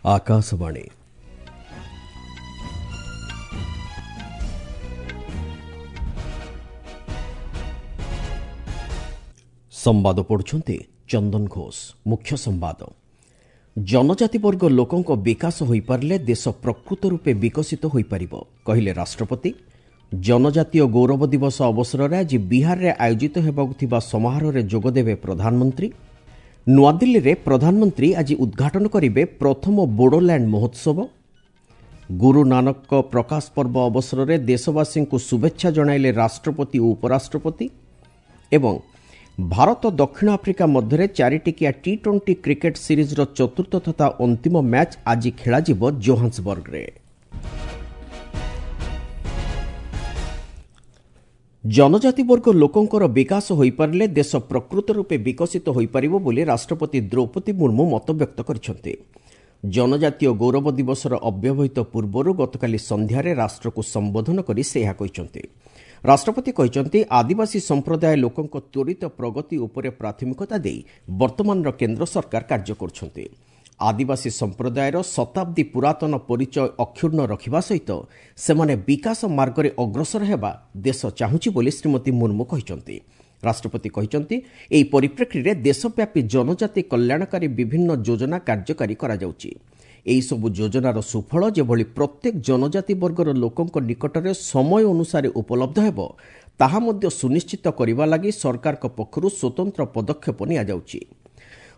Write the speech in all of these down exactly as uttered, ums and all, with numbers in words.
ଆକାଶବାଣୀ। ସମ୍ବାଦ ପଢୁଛନ୍ତି ଚନ୍ଦନ ଘୋଷ। ମୁଖ୍ୟ ସମ୍ବାଦ। ଜନଜାତି ବର୍ଗ ଲୋକଙ୍କ ବିକାଶ ହୋଇପାରିଲେ ଦେଶ ପ୍ରକୃତ ରୂପେ ବିକଶିତ ହୋଇପାରିବ, କହିଲେ ରାଷ୍ଟ୍ରପତି। ଜନଜାତୀୟ ଗୌରବ ଦିବସ ଅବସରରେ ଆଜି ବିହାରରେ ଆୟୋଜିତ ହେବାକୁ ଥିବା ସମାରୋହରେ ଯୋଗଦେବେ ପ୍ରଧାନମନ୍ତ୍ରୀ। ନୂଆଦିଲ୍ଲୀରେ ପ୍ରଧାନମନ୍ତ୍ରୀ ଆଜି ଉଦ୍ଘାଟନ କରିବେ ପ୍ରଥମ ବୋଡୋଲ୍ୟାଣ୍ଡ ମହୋତ୍ସବ। ଗୁରୁ ନାନକଙ୍କ ପ୍ରକାଶ ପର୍ବ ଅବସରରେ ଦେଶବାସୀଙ୍କୁ ଶୁଭେଚ୍ଛା ଜଣାଇଲେ ରାଷ୍ଟ୍ରପତି ଓ ଉପରାଷ୍ଟ୍ରପତି। ଏବଂ ଭାରତ ଦକ୍ଷିଣ ଆଫ୍ରିକା ମଧ୍ୟରେ ଚାରିଟିକିଆ ଟି ଟ୍ୱେଣ୍ଟି କ୍ରିକେଟ୍ ସିରିଜ୍ର ଚତୁର୍ଥ ତଥା ଅନ୍ତିମ ମ୍ୟାଚ୍ ଆଜି ଖେଳାଯିବ ଜୋହାନ୍ସବର୍ଗରେ। ଜନଜାତି ବର୍ଗ ଲୋକଙ୍କର ବିକାଶ ହୋଇପାରିଲେ ଦେଶ ପ୍ରକୃତ ରୂପେ ବିକଶିତ ହୋଇପାରିବ ବୋଲି ରାଷ୍ଟ୍ରପତି ଦ୍ରୌପଦୀ ମୁର୍ମୁ ମତବ୍ୟକ୍ତ କରିଛନ୍ତି। ଜନଜାତୀୟ ଗୌରବ ଦିବସର ଅବ୍ୟବହିତ ପୂର୍ବରୁ ଗତକାଲି ସନ୍ଧ୍ୟାରେ ରାଷ୍ଟ୍ରକୁ ସମ୍ବୋଧନ କରି ସେ ଏହା କହିଛନ୍ତି। ରାଷ୍ଟ୍ରପତି କହିଛନ୍ତି, ଆଦିବାସୀ ସମ୍ପ୍ରଦାୟ ଲୋକଙ୍କ ତ୍ୱରିତ ପ୍ରଗତି ଉପରେ ପ୍ରାଥମିକତା ଦେଇ ବର୍ତ୍ତମାନର କେନ୍ଦ୍ର ସରକାର କାର୍ଯ୍ୟ କରୁଛନ୍ତି। ଆଦିବାସୀ ସମ୍ପ୍ରଦାୟର ଶତାବ୍ଦୀ ପୁରାତନ ପରିଚୟ ଅକ୍ଷୁଣ୍ଣ ରଖିବା ସହିତ ସେମାନେ ବିକାଶ ମାର୍ଗରେ ଅଗ୍ରସର ହେବା ଦେଶ ଚାହୁଁଛି ବୋଲି ଶ୍ରୀମତୀ ମୁର୍ମୁ କହିଛନ୍ତି। ରାଷ୍ଟ୍ରପତି କହିଛନ୍ତି, ଏହି ପରିପ୍ରେକ୍ଷୀରେ ଦେଶବ୍ୟାପୀ ଜନଜାତି କଲ୍ୟାଣକାରୀ ବିଭିନ୍ନ ଯୋଜନା କାର୍ଯ୍ୟକାରୀ କରାଯାଉଛି। ଏହିସବୁ ଯୋଜନାର ସୁଫଳ ଯେଭଳି ପ୍ରତ୍ୟେକ ଜନଜାତି ବର୍ଗର ଲୋକଙ୍କ ନିକଟରେ ସମୟ ଅନୁସାରେ ଉପଲବ୍ଧ ହେବ, ତାହା ମଧ୍ୟ ସୁନିଶ୍ଚିତ କରିବା ଲାଗି ସରକାରଙ୍କ ପକ୍ଷରୁ ସ୍ୱତନ୍ତ୍ର ପଦକ୍ଷେପ ନିଆଯାଉଛି।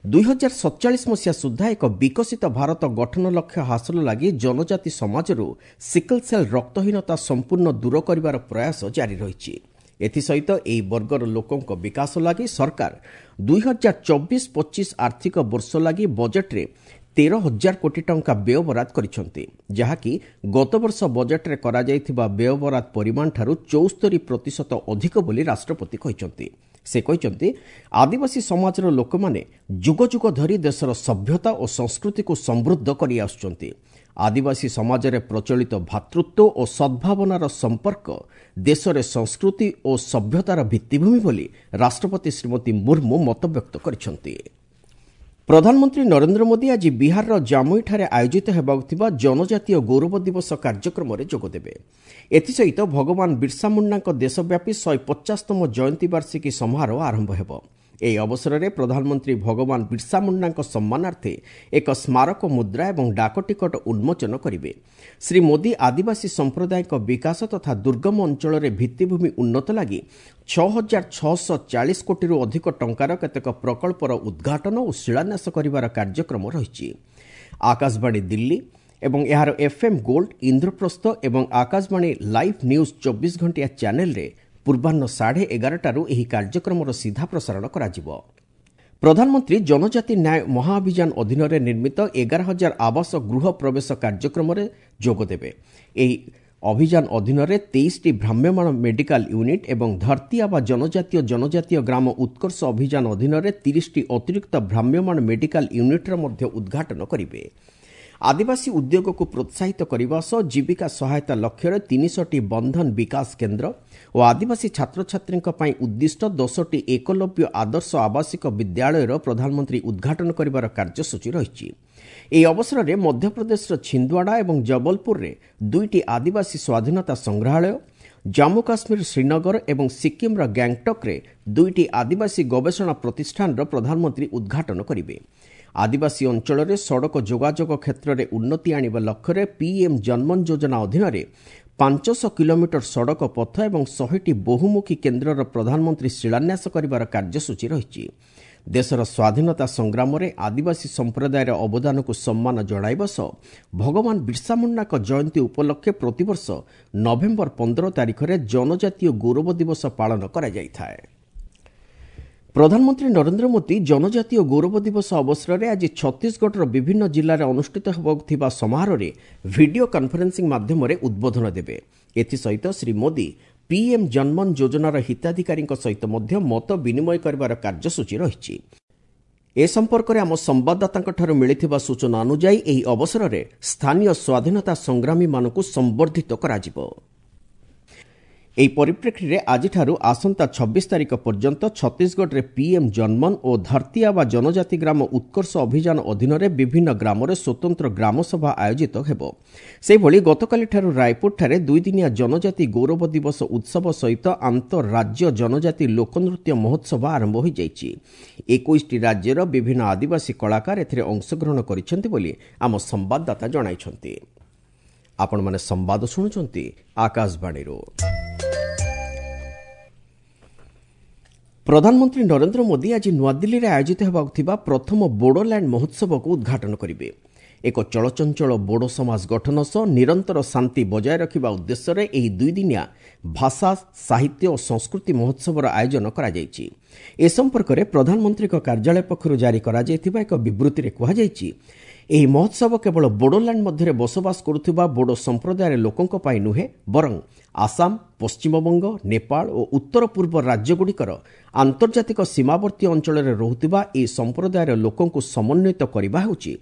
ଦୁଇ ହଜାର ସତଚାଳିଶ ମସିହା ସୁଦ୍ଧା ଏକ ବିକଶିତ ଭାରତ ଗଠନ ଲକ୍ଷ୍ୟ ହାସଲ ଲାଗି ଜନଜାତି ସମାଜରୁ ସିକଲ ସେଲ୍ ରକ୍ତହୀନତା ସମ୍ପୂର୍ଣ୍ଣ ଦୂର କରିବାର ପ୍ରୟାସ ଜାରି ରହିଛି। ଏଥିସହିତ ଏହି ବର୍ଗର ଲୋକଙ୍କ ବିକାଶ ଲାଗି ସରକାର ଦୁଇ ହଜାର ଚବିଶ ପଚିଶ ଆର୍ଥିକ ବର୍ଷ ଲାଗି ବଜେଟ୍ରେ ତେର ହଜାର କୋଟି ଟଙ୍କା ବ୍ୟୟବରାଦ କରିଛନ୍ତି, ଯାହାକି ଗତବର୍ଷ ବଜେଟ୍ରେ କରାଯାଇଥିବା ବ୍ୟୟବରାଦ ପରିମାଣଠାରୁ ଚଉସ୍ତରୀ ପ୍ରତିଶତ ଅଧିକ ବୋଲି ରାଷ୍ଟ୍ରପତି କହିଛନ୍ତି। ସେ କହିଛନ୍ତି, ଆଦିବାସୀ ସମାଜର ଲୋକମାନେ ଯୁଗ ଯୁଗ ଧରି ଦେଶର ସଭ୍ୟତା ଓ ସଂସ୍କୃତିକୁ ସମୃଦ୍ଧ କରିଆସୁଛନ୍ତି। ଆଦିବାସୀ ସମାଜରେ ପ୍ରଚଳିତ ଭ୍ରାତୃତ୍ୱ ଓ ସଦ୍ଭାବନାର ସମ୍ପର୍କ ଦେଶରେ ସଂସ୍କୃତି ଓ ସଭ୍ୟତାର ଭିତ୍ତିଭୂମି ବୋଲି ରାଷ୍ଟ୍ରପତି ଶ୍ରୀମତୀ ମୁର୍ମୁ ମତବ୍ୟକ୍ତ କରିଛନ୍ତି। ପ୍ରଧାନମନ୍ତ୍ରୀ ନରେନ୍ଦ୍ର ମୋଦି ଆଜି ବିହାରର ଜାମୁଇଠାରେ ଆୟୋଜିତ ହେବାକୁ ଥିବା ଜନଜାତୀୟ ଗୌରବ ଦିବସ କାର୍ଯ୍ୟକ୍ରମରେ ଯୋଗଦେବେ। ଏଥିସହିତ ଭଗବାନ ବିର୍ସା ମୁଣ୍ଡାଙ୍କ ଦେଶବ୍ୟାପୀ ଶହେ ପଚାଶତମ ଜୟନ୍ତୀ ବାର୍ଷିକୀ ସମାରୋହ ଆରମ୍ଭ ହେବ। ଏହି ଅବସରରେ ପ୍ରଧାନମନ୍ତ୍ରୀ ଭଗବାନ ବିର୍ସା ମୁଣ୍ଡାଙ୍କ ସମ୍ମାନାର୍ଥେ ଏକ ସ୍ମାରକ ମୁଦ୍ରା ଏବଂ ଡାକଟିକଟ ଉନ୍ମୋଚନ କରିବେ। ଶ୍ରୀ ମୋଦି ଆଦିବାସୀ ସମ୍ପ୍ରଦାୟଙ୍କ ବିକାଶ ତଥା ଦୁର୍ଗମ ଅଞ୍ଚଳରେ ଭିତ୍ତିଭୂମି ଉନ୍ନତ ଲାଗି ଛଅ ହଜାର ଛଅଶହ ଚାଳିଶ କୋଟିରୁ ଅଧିକ ଟଙ୍କାର କେତେକ ପ୍ରକଳ୍ପର ଉଦ୍ଘାଟନ ଓ ଶିଳାନ୍ୟାସ କରିବାର କାର୍ଯ୍ୟକ୍ରମ ରହିଛି। ଆକାଶବାଣୀ ଦିଲ୍ଲୀ ଏବଂ ଏହାର ଏଫ୍ଏମ୍ ଗୋଲ୍ଡ, ଇନ୍ଦ୍ରପ୍ରସ୍ଥ ଏବଂ ଆକାଶବାଣୀ ଲାଇଭ୍ ନ୍ୟୁଜ୍ ଚବିଶ ଘଣ୍ଟିଆ ଚ୍ୟାନେଲରେ ପୂର୍ବାହ୍ନ ସାଢ଼େ ଏଗାରଟାରୁ ଏହି କାର୍ଯ୍ୟକ୍ରମର ସିଧା ପ୍ରସାରଣ କରାଯିବ। ପ୍ରଧାନମନ୍ତ୍ରୀ ଜନଜାତି ନ୍ୟାୟ ମହାଅଭିଯାନ ଅଧୀନରେ ନିର୍ମିତ ଏଗାର ହଜାର ଆବାସ ଗୃହ ପ୍ରବେଶ କାର୍ଯ୍ୟକ୍ରମରେ ଯୋଗଦେବେ। ଏହି ଅଭିଯାନ ଅଧୀନରେ ତେଇଶଟି ଭ୍ରାମ୍ୟମାଣ ମେଡିକାଲ ୟୁନିଟ୍ ଏବଂ ଧରତୀ ଆବା ଜନଜାତୀୟ ଜନଜାତୀୟ ଗ୍ରାମ ଉତ୍କର୍ଷ ଅଭିଯାନ ଅଧୀନରେ ତିରିଶଟି ଅତିରିକ୍ତ ଭ୍ରାମ୍ୟମାଣ ମେଡିକାଲ ୟୁନିଟ୍ର ମଧ୍ୟ ଉଦ୍ଘାଟନ କରିବେ। ଆଦିବାସୀ ଉଦ୍ୟୋଗକୁ ପ୍ରୋତ୍ସାହିତ କରିବା ସହ ଜୀବିକା ସହାୟତା ଲକ୍ଷ୍ୟରେ ତିନିଶହଟି ବନ୍ଧନ ବିକାଶ କେନ୍ଦ୍ର ଓ ଆଦିବାସୀ ଛାତ୍ରଛାତ୍ରୀଙ୍କ ପାଇଁ ଉଦ୍ଦିଷ୍ଟ ଦଶଟି ଏକଲବ୍ୟ ଆଦର୍ଶ ଆବାସିକ ବିଦ୍ୟାଳୟର ପ୍ରଧାନମନ୍ତ୍ରୀ ଉଦ୍ଘାଟନ କରିବାର କାର୍ଯ୍ୟସୂଚୀ ରହିଛି। ଏହି ଅବସରରେ ମଧ୍ୟପ୍ରଦେଶର ଛିନ୍ଦୱାଡ଼ା ଏବଂ ଜବଲପୁରରେ ଦୁଇଟି ଆଦିବାସୀ ସ୍ୱାଧୀନତା ସଂଗ୍ରହାଳୟ, ଜାମ୍ମୁ କାଶ୍ମୀର ଶ୍ରୀନଗର ଏବଂ ସିକ୍କିମ୍ର ଗ୍ୟାଙ୍ଗଟକ୍ରେ ଦୁଇଟି ଆଦିବାସୀ ଗବେଷଣା ପ୍ରତିଷ୍ଠାନର ପ୍ରଧାନମନ୍ତ୍ରୀ ଉଦ୍ଘାଟନ କରିବେ। ଆଦିବାସୀ ଅଞ୍ଚଳରେ ସଡ଼କ ଯୋଗାଯୋଗ କ୍ଷେତ୍ରରେ ଉନ୍ନତି ଆଣିବା ଲକ୍ଷ୍ୟରେ ପିଏମ୍ ଜନମନ ଯୋଜନା ଅଧୀନରେ ପାଞ୍ଚଶହ କିଲୋମିଟର ସଡ଼କ ପଥ ଏବଂ ଶହେଟି ବହୁମୁଖୀ କେନ୍ଦ୍ରର ପ୍ରଧାନମନ୍ତ୍ରୀ ଶିଳାନ୍ୟାସ କରିବାର କାର୍ଯ୍ୟସୂଚୀ ରହିଛି। ଦେଶର ସ୍ୱାଧୀନତା ସଂଗ୍ରାମରେ ଆଦିବାସୀ ସମ୍ପ୍ରଦାୟର ଅବଦାନକୁ ସମ୍ମାନ ଜଣାଇବା ସହ ଭଗବାନ ବିର୍ସା ମୁଣ୍ଡାଙ୍କ ଜୟନ୍ତୀ ଉପଲକ୍ଷେ ପ୍ରତିବର୍ଷ ନଭେମ୍ବର ପନ୍ଦର ତାରିଖରେ ଜନଜାତୀୟ ଗୌରବ ଦିବସ ପାଳନ କରାଯାଇଥାଏ। ପ୍ରଧାନମନ୍ତ୍ରୀ ନରେନ୍ଦ୍ର ମୋଦି ଜନଜାତୀୟ ଗୌରବ ଦିବସ ଅବସରରେ ଆଜି ଛତିଶଗଡ଼ର ବିଭିନ୍ନ ଜିଲ୍ଲାରେ ଅନୁଷ୍ଠିତ ହେବାକୁ ଥିବା ସମାରୋହରେ ଭିଡିଓ କନଫରେନ୍ସିଂ ମାଧ୍ୟମରେ ଉଦ୍ବୋଧନ ଦେବେ। ଏଥିସହିତ ଶ୍ରୀ ମୋଦି ପିଏମ୍ ଜନମନ ଯୋଜନାର ହିତାଧିକାରୀଙ୍କ ସହିତ ମଧ୍ୟ ମତ ବିନିମୟ କରିବାର କାର୍ଯ୍ୟସୂଚୀ ରହିଛି। ଏ ସମ୍ପର୍କରେ ଆମ ସମ୍ବାଦଦାତାଙ୍କଠାରୁ ମିଳିଥିବା ସୂଚନା ଅନୁଯାୟୀ ଏହି ଅବସରରେ ସ୍ଥାନୀୟ ସ୍ୱାଧୀନତା ସଂଗ୍ରାମୀମାନଙ୍କୁ ସମ୍ବର୍ଦ୍ଧିତ କରାଯିବ। ଏହି ପରିପ୍ରେକ୍ଷୀରେ ଆଜିଠାରୁ ଆସନ୍ତା ଛବିଶ ତାରିଖ ପର୍ଯ୍ୟନ୍ତ ଛତିଶଗଡ଼ରେ ପିଏମ୍ ଜନ୍ମନ ଓ ଧରତୀ ଆବା ଜନଜାତି ଗ୍ରାମ ଉତ୍କର୍ଷ ଅଭିଯାନ ଅଧୀନରେ ବିଭିନ୍ନ ଗ୍ରାମରେ ସ୍ୱତନ୍ତ୍ର ଗ୍ରାମସଭା ଆୟୋଜିତ ହେବ। ସେହିଭଳି ଗତକାଲିଠାରୁ ରାୟପୁରଠାରେ ଦୁଇଦିନିଆ ଜନଜାତି ଗୌରବ ଦିବସ ଉତ୍ସବ ସହିତ ଆନ୍ତଃରାଜ୍ୟ ଜନଜାତି ଲୋକନୃତ୍ୟ ମହୋତ୍ସବ ଆରମ୍ଭ ହୋଇଯାଇଛି। ଏକୋଇଶଟି ରାଜ୍ୟର ବିଭିନ୍ନ ଆଦିବାସୀ କଳାକାର ଏଥିରେ ଅଂଶଗ୍ରହଣ କରିଛନ୍ତି ବୋଲି ଆମ ସମ୍ବାଦଦାତା ଜଣାଇଛନ୍ତି। ଆପଣମାନେ ସମ୍ବାଦ ଶୁଣୁଛନ୍ତି ଆକାଶବାଣୀରୁ। ପ୍ରଧାନମନ୍ତ୍ରୀ ନରେନ୍ଦ୍ର ମୋଦି ଆଜି ନୂଆଦିଲ୍ଲୀରେ ଆୟୋଜିତ ହେବାକୁ ଥିବା ପ୍ରଥମ ବୋଡୋଲ୍ୟାଣ୍ଡ ମହୋତ୍ସବକୁ ଉଦ୍ଘାଟନ କରିବେ। ଏକ ଚଳଚଞ୍ଚଳ ବୋଡୋ ସମାଜ ଗଠନ ସହ ନିରନ୍ତର ଶାନ୍ତି ବଜାୟ ରଖିବା ଉଦ୍ଦେଶ୍ୟରେ ଏହି ଦୁଇଦିନିଆ ଭାଷା, ସାହିତ୍ୟ ଓ ସଂସ୍କୃତି ମହୋତ୍ସବର ଆୟୋଜନ କରାଯାଇଛି। ଏ ସମ୍ପର୍କରେ ପ୍ରଧାନମନ୍ତ୍ରୀଙ୍କ କାର୍ଯ୍ୟାଳୟ ପକ୍ଷରୁ ଜାରି କରାଯାଇଥିବା ଏକ ବିବୃତ୍ତିରେ କୁହାଯାଇଛି, ଏହି ମହୋତ୍ସବ କେବଳ ବୋଡୋଲ୍ୟାଣ୍ଡ ମଧ୍ୟରେ ବସବାସ କରୁଥିବା ବୋଡୋ ସମ୍ପ୍ରଦାୟର ଲୋକଙ୍କ ପାଇଁ ନୁହେଁ, ବରଂ ଆସାମ, ପଶ୍ଚିମବଙ୍ଗ, ନେପାଳ ଓ ଉତ୍ତର ପୂର୍ବ ରାଜ୍ୟଗୁଡ଼ିକର ଆନ୍ତର୍ଜାତିକ ସୀମାବର୍ତ୍ତୀ ଅଞ୍ଚଳରେ ରହୁଥିବା ଏହି ସମ୍ପ୍ରଦାୟର ଲୋକଙ୍କୁ ସମନ୍ୱିତ କରିବା ହେଉଛି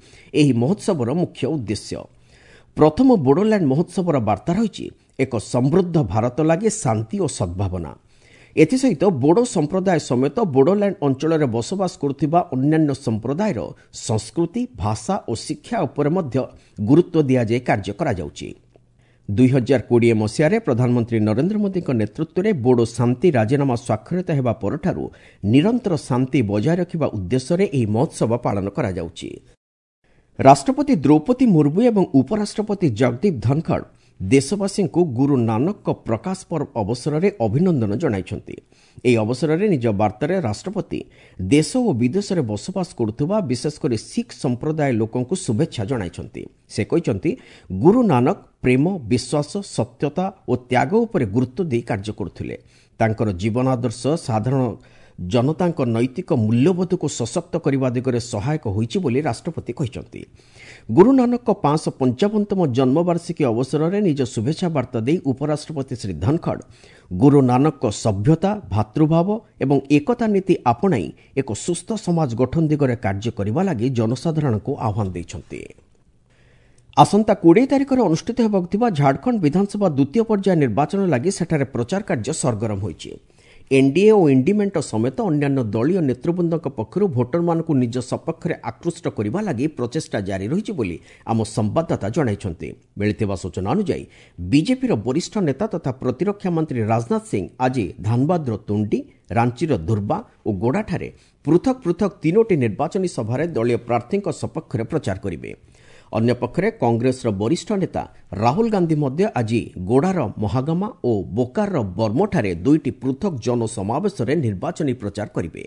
ଏହି ମହୋତ୍ସବର ମୁଖ୍ୟ ଉଦ୍ଦେଶ୍ୟ। ପ୍ରଥମ ବୋଡୋଲ୍ୟାଣ୍ଡ ମହୋତ୍ସବର ବାର୍ତ୍ତା ରହିଛି ଏକ ସମୃଦ୍ଧ ଭାରତ ଲାଗି ଶାନ୍ତି ଓ ସଦ୍ଭାବନା। ଏଥିସହିତ ବୋଡୋ ସମ୍ପ୍ରଦାୟ ସମେତ ବୋଡୋଲ୍ୟାଣ୍ଡ ଅଞ୍ଚଳରେ ବସବାସ କରୁଥିବା ଅନ୍ୟାନ୍ୟ ସମ୍ପ୍ରଦାୟର ସଂସ୍କୃତି, ଭାଷା ଓ ଶିକ୍ଷା ଉପରେ ମଧ୍ୟ ଗୁରୁତ୍ୱ ଦିଆଯାଇ କାର୍ଯ୍ୟ କରାଯାଉଛି। ଦୁଇ ହଜାର କୋଡ଼ିଏ ମସିହାରେ ପ୍ରଧାନମନ୍ତ୍ରୀ ନରେନ୍ଦ୍ର ମୋଦିଙ୍କ ନେତୃତ୍ୱରେ ବୋଡୋ ଶାନ୍ତି ରାଜିନାମା ସ୍ୱାକ୍ଷରିତ ହେବା ପରଠାରୁ ନିରନ୍ତର ଶାନ୍ତି ବଜାୟ ରଖିବା ଉଦ୍ଦେଶ୍ୟରେ ଏହି ମହୋତ୍ସବ ପାଳନ କରାଯାଉଛି। ରାଷ୍ଟ୍ରପତି ଦ୍ରୌପଦୀ ମୁର୍ମୁ ଏବଂ ଉପରାଷ୍ଟ୍ରପତି ଜଗଦୀପ ଧନଖଡ଼ ଦେଶବାସୀଙ୍କୁ ଗୁରୁ ନାନକଙ୍କ ପ୍ରକାଶ ପର୍ବ ଅବସରରେ ଅଭିନନ୍ଦନ ଜଣାଇଛନ୍ତି। ଏହି ଅବସରରେ ନିଜ ବାର୍ତ୍ତାରେ ରାଷ୍ଟ୍ରପତି ଦେଶ ଓ ବିଦେଶରେ ବସବାସ କରୁଥିବା ବିଶେଷକରି ଶିଖ ସମ୍ପ୍ରଦାୟ ଲୋକଙ୍କୁ ଶୁଭେଚ୍ଛା ଜଣାଇଛନ୍ତି। ସେ କହିଛନ୍ତି, ଗୁରୁ ନାନକ ପ୍ରେମ, ବିଶ୍ୱାସ, ସତ୍ୟତା ଓ ତ୍ୟାଗ ଉପରେ ଗୁରୁତ୍ୱ ଦେଇ କାର୍ଯ୍ୟ କରୁଥିଲେ। ତାଙ୍କର ଜୀବନାଦର୍ଶ ସାଧାରଣ ଜନତାଙ୍କ ନୈତିକ ମୂଲ୍ୟବୋଧକୁ ସଶକ୍ତ କରିବା ଦିଗରେ ସହାୟକ ହୋଇଛି ବୋଲି ରାଷ୍ଟ୍ରପତି କହିଛନ୍ତି। ଗୁରୁ ନାନକଙ୍କ ପାଞ୍ଚଶହ ପଞ୍ଚାବନତମ ଜନ୍ମବାର୍ଷିକୀ ଅବସରରେ ନିଜ ଶୁଭେଚ୍ଛା ବାର୍ତ୍ତା ଦେଇ ଉପରାଷ୍ଟ୍ରପତି ଶ୍ରୀ ଧନଖଡ଼ ଗୁରୁ ନାନକଙ୍କ ସଭ୍ୟତା, ଭାତୃଭାବ ଏବଂ ଏକତା ନୀତି ଆପଣାଇ ଏକ ସୁସ୍ଥ ସମାଜ ଗଠନ ଦିଗରେ କାର୍ଯ୍ୟ କରିବା ଲାଗି ଜନସାଧାରଣଙ୍କୁ ଆହ୍ୱାନ ଦେଇଛନ୍ତି। ଆସନ୍ତା କୋଡ଼ିଏ ତାରିଖରେ ଅନୁଷ୍ଠିତ ହେବାକୁ ଥିବା ଝାଡ଼ଖଣ୍ଡ ବିଧାନସଭା ଦ୍ୱିତୀୟ ପର୍ଯ୍ୟାୟ ନିର୍ବାଚନ ଲାଗି ସେଠାରେ ପ୍ରଚାର କାର୍ଯ୍ୟ ସରଗରମ ହୋଇଛି। ଏନ୍ଡିଏ ଓ ଇଣ୍ଡି ମେଣ୍ଟ ସମେତ ଅନ୍ୟାନ୍ୟ ଦଳୀୟ ନେତୃବୃନ୍ଦଙ୍କ ପକ୍ଷରୁ ଭୋଟରମାନଙ୍କୁ ନିଜ ସପକ୍ଷରେ ଆକୃଷ୍ଟ କରିବା ଲାଗି ପ୍ରଚେଷ୍ଟା ଜାରି ରହିଛି ବୋଲି ଆମ ସମ୍ବାଦଦାତା ଜଣାଇଛନ୍ତି। ମିଳିଥିବା ସୂଚନା ଅନୁଯାୟୀ ବିଜେପିର ବରିଷ୍ଠ ନେତା ତଥା ପ୍ରତିରକ୍ଷା ମନ୍ତ୍ରୀ ରାଜନାଥ ସିଂ ଆଜି ଧାନବାଦର ତୁଣ୍ଡି, ରାଞ୍ଚିର ଦୁର୍ବା ଓ ଗୋଡ଼ାଠାରେ ପୃଥକ ପୃଥକ ତିନୋଟି ନିର୍ବାଚନୀ ସଭାରେ ଦଳୀୟ ପ୍ରାର୍ଥୀଙ୍କ ସପକ୍ଷରେ ପ୍ରଚାର କରିବେ। ଅନ୍ୟପକ୍ଷରେ କଂଗ୍ରେସର ବରିଷ୍ଠ ନେତା ରାହୁଲ ଗାନ୍ଧୀ ମଧ୍ୟ ଆଜି ଗୋଡ଼ାର ମହାଗାମା ଓ ବୋକାରର ବର୍ମୋଠାରେ ଦୁଇଟି ପୃଥକ ଜନସମାବେଶରେ ନିର୍ବାଚନୀ ପ୍ରଚାର କରିବେ।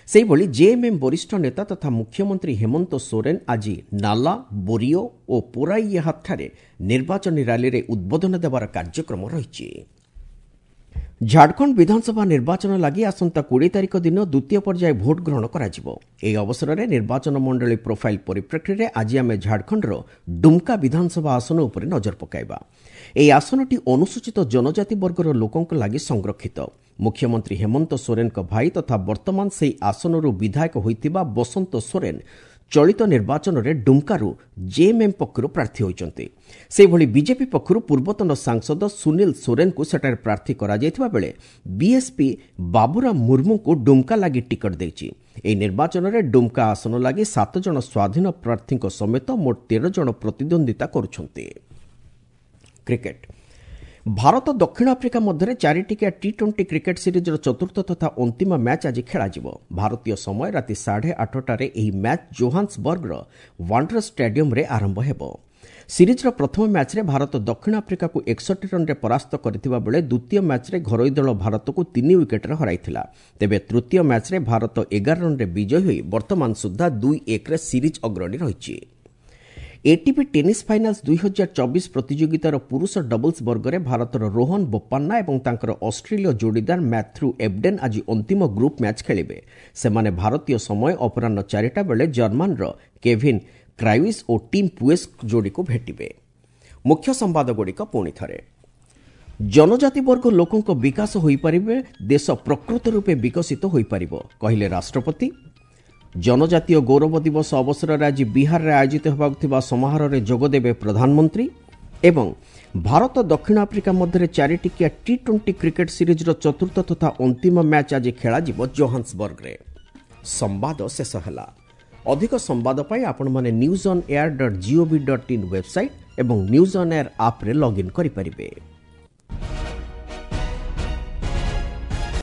ସେହିଭଳି ଜେଏମ୍ଏମ୍ ବରିଷ୍ଠ ନେତା ତଥା ମୁଖ୍ୟମନ୍ତ୍ରୀ ହେମନ୍ତ ସୋରେନ ଆଜି ନାଲା, ବୋରିଓ ଓ ପୋରାଇୟାହାତଠାରେ ନିର୍ବାଚନୀ ରାଲିରେ ଉଦ୍ବୋଧନ ଦେବାର କାର୍ଯ୍ୟକ୍ରମ ରହିଛି। ଝାଡ଼ଖଣ୍ଡ ବିଧାନସଭା ନିର୍ବାଚନ ଲାଗି ଆସନ୍ତା କୋଡ଼ିଏ ତାରିଖ ଦିନ ଦ୍ୱିତୀୟ ପର୍ଯ୍ୟାୟ ଭୋଟ ଗ୍ରହଣ କରାଯିବ। ଏହି ଅବସରରେ ନିର୍ବାଚନ ମଣ୍ଡଳୀ ପ୍ରୋଫାଇଲ୍ ପରିପ୍ରେକ୍ଷୀରେ ଆଜି ଆମେ ଝାଡ଼ଖଣ୍ଡର ଡୁମ୍କା ବିଧାନସଭା ଆସନ ଉପରେ ନଜର ପକାଇବା। ଏହି ଆସନଟି ଅନୁସୂଚିତ ଜନଜାତି ବର୍ଗର ଲୋକଙ୍କ ଲାଗି ସଂରକ୍ଷିତ। ମୁଖ୍ୟମନ୍ତ୍ରୀ ହେମନ୍ତ ସୋରେନଙ୍କ ଭାଇ ତଥା ବର୍ତ୍ତମାନ ସେହି ଆସନରୁ ବିଧାୟକ ହୋଇଥିବା ବସନ୍ତ ସୋରେନ ଚଳିତ ନିର୍ବାଚନରେ ଡୁମ୍କାରୁ ଜେଏମ୍ଏମ୍ ପକ୍ଷରୁ ପ୍ରାର୍ଥୀ ହୋଇଛନ୍ତି। ସେହିଭଳି ବିଜେପି ପକ୍ଷରୁ ପୂର୍ବତନ ସାଂସଦ ସୁନୀଲ ସୋରେନଙ୍କୁ ସେଠାରେ ପ୍ରାର୍ଥୀ କରାଯାଇଥିବା ବେଳେ ବିଏସ୍ପି ବାବୁରାମ ମୁର୍ମୁଙ୍କୁ ଡୁମ୍କା ଲାଗି ଟିକଟ ଦେଇଛି। ଏହି ନିର୍ବାଚନରେ ଡୁମ୍କା ଆସନ ଲାଗି ସାତ ଜଣ ସ୍ୱାଧୀନ ପ୍ରାର୍ଥୀଙ୍କ ସମେତ ମୋଟ ତେର ଜଣ ପ୍ରତିଦ୍ୱନ୍ଦ୍ୱିତା କରୁଛନ୍ତି। କ୍ରିକେଟ ଭାରତ ଦକ୍ଷିଣ ଆଫ୍ରିକା ମଧ୍ୟରେ ଚାରିଟିକିଆ ଟି ଟ୍ୱେଣ୍ଟି କ୍ରିକେଟ୍ ସିରିଜ୍ର ଚତୁର୍ଥ ତଥା ଅନ୍ତିମ ମ୍ୟାଚ୍ ଆଜି ଖେଳାଯିବ। ଭାରତୀୟ ସମୟ ରାତି ସାଢ଼େ ଆଠଟାରେ ଏହି ମ୍ୟାଚ୍ ଜୋହାନ୍ସବର୍ଗର ୱାଣ୍ଡର ଷ୍ଟାଡିୟମ୍ରେ ଆରମ୍ଭ ହେବ। ସିରିଜ୍ର ପ୍ରଥମ ମ୍ୟାଚ୍ରେ ଭାରତ ଦକ୍ଷିଣ ଆଫ୍ରିକାକୁ ଏକଷଠି ରନ୍ରେ ପରାସ୍ତ କରିଥିବା ବେଳେ ଦ୍ୱିତୀୟ ମ୍ୟାଚ୍ରେ ଘରୋଇ ଦଳ ଭାରତକୁ ତିନି ୱିକେଟ୍ରେ ହରାଇଥିଲା। ତେବେ ତୃତୀୟ ମ୍ୟାଚ୍ରେ ଭାରତ ଏଗାର ରନ୍ରେ ବିଜୟୀ ହୋଇ ବର୍ତ୍ତମାନ ସୁଦ୍ଧା ଦୁଇ ଏକରେ ସିରିଜ୍ ଅଗ୍ରଣୀ ରହିଛି। ଏଟିପି ଟେନିସ୍ ଫାଇନାଲ୍ସ ଦୁଇ ହଜାର ଚବିଶ ପ୍ରତିଯୋଗିତାର ପୁରୁଷ ଡବଲ୍ସ ବର୍ଗରେ ଭାରତର ରୋହନ ବୋପାନ୍ନା ଏବଂ ତାଙ୍କର ଅଷ୍ଟ୍ରେଲୀୟ ଯୋଡ଼ିଦାର ମ୍ୟାଥ୍ୟୁ ଏବଡେନ୍ ଆଜି ଅନ୍ତିମ ଗ୍ରୁପ୍ ମ୍ୟାଚ୍ ଖେଳିବେ। ସେମାନେ ଭାରତୀୟ ସମୟ ଅପରାହ୍ନ ଚାରିଟା ବେଳେ ଜର୍ମାନର କେଭିନ୍ କ୍ରାଇୱିସ୍ ଓ ଟିମ୍ ପୁଏସ୍ ଯୋଡ଼ିକୁ ଭେଟିବେ। ମୁଖ୍ୟ ସମ୍ବାଦଗୁଡ଼ିକ ପୁଣି ଥରେ। ଜନଜାତି ବର୍ଗ ଲୋକଙ୍କ ବିକାଶ ହୋଇପାରିବେ, ଦେଶ ପ୍ରକୃତ ରୂପେ ବିକଶିତ ହୋଇପାରିବ, କହିଲେ ରାଷ୍ଟ୍ରପତି। ଜନଜାତୀୟ ଗୌରବ ଦିବସ ଅବସରରେ ଆଜି ବିହାରରେ ଆୟୋଜିତ ହେବାକୁ ଥିବା ସମାରୋହରେ ଯୋଗଦେବେ ପ୍ରଧାନମନ୍ତ୍ରୀ। ଏବଂ ଭାରତ ଦକ୍ଷିଣ ଆଫ୍ରିକା ମଧ୍ୟରେ ଚାରିଟିକିଆ ଟି ଟ୍ୱେଣ୍ଟି କ୍ରିକେଟ୍ ସିରିଜ୍ର ଚତୁର୍ଥ ତଥା ଅନ୍ତିମ ମ୍ୟାଚ୍ ଆଜି ଖେଳାଯିବ ଜୋହାନ୍ସବର୍ଗରେ। ସମ୍ବାଦ ଶେଷ ହେଲା। ଅଧିକ ସମ୍ବାଦ ପାଇଁ ଆପଣମାନେ news on air dot gov dot in website ଏବଂ ନ୍ୟୁଜ୍ ଅନ୍ ଏୟାର ଆପ୍ରେ ଲଗ୍ଇନ୍ କରିପାରିବେ।